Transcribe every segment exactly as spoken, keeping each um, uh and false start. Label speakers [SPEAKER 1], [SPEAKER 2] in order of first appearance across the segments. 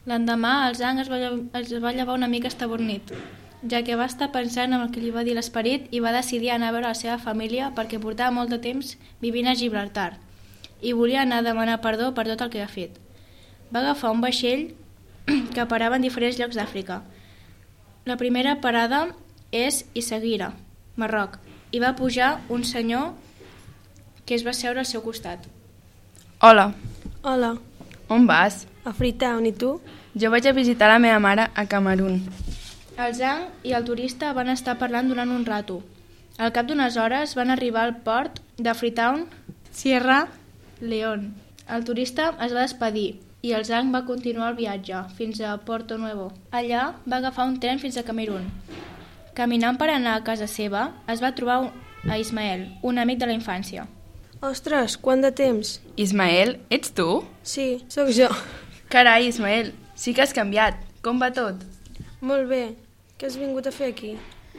[SPEAKER 1] L'endemà el Zhang es va, lle- es va llevar una mica estabornit, ja que va estar pensant en el que li va dir l'esperit i va decidir anar a veure la seva família perquè portava molt de temps vivint a Gibraltar i volia anar a demanar perdó per tot el que ha fet. Va agafar un vaixell que parava en diferents llocs d'Àfrica. La primera parada és Essaouira, Marroc, i va pujar un senyor que es va seure al seu costat.
[SPEAKER 2] Hola,
[SPEAKER 3] Hola,
[SPEAKER 2] on vas?
[SPEAKER 3] a Freetown, i tu?
[SPEAKER 2] Jo vaig a visitar la meva mare a Camerun.
[SPEAKER 1] El Zhang i el turista van estar parlant durant un rato. Al cap d'unes hores van arribar al port de Freetown, Sierra Leone. El turista es va despedir i el Zhang va continuar el viatge fins a Porto Nuevo. Allà va agafar un tren fins a Camerun. Caminant per anar a casa seva, es va trobar a Ismael, un amic de la infància.
[SPEAKER 3] Ostres, quant de temps?
[SPEAKER 2] Ismael, ets tu?
[SPEAKER 3] Sí, sóc jo.
[SPEAKER 2] Carai, Ismael, sí que has canviat. Com va tot?
[SPEAKER 3] Molt bé. Què has vingut a fer aquí?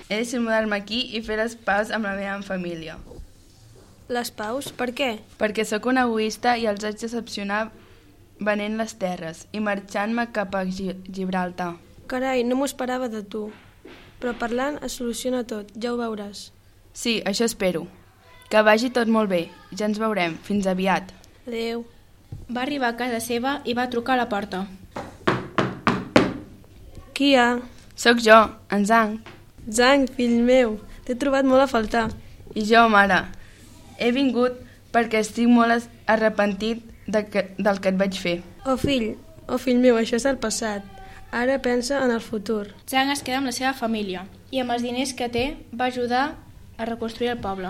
[SPEAKER 2] He decidit mudar-me aquí i fer les paus amb la meva família.
[SPEAKER 3] Les paus? Per què?
[SPEAKER 2] Perquè sóc un egoista i els haig decepcionar venent les terres i marxant-me cap a Gi- Gibraltar.
[SPEAKER 3] Carai, no m'ho esperava de tu. Però parlant es soluciona tot, ja ho veuràs.
[SPEAKER 2] Sí, això espero. Que vagi tot molt bé. Ja ens veurem. Fins aviat.
[SPEAKER 3] Adéu.
[SPEAKER 1] Va arribar a casa seva i va trucar a la porta.
[SPEAKER 3] Qui hi ha?
[SPEAKER 2] Sóc jo, en Zhang.
[SPEAKER 3] Zhang, fill meu, t'he trobat molt a faltar.
[SPEAKER 2] I jo, mare. He vingut perquè estic molt es- arrepentit de que, del que et vaig fer.
[SPEAKER 3] Oh fill, oh fill meu, això és el passat. Ara pensa en el futur.
[SPEAKER 1] Zhang es queda amb la seva família i amb els diners que té va ajudar a reconstruir el poble.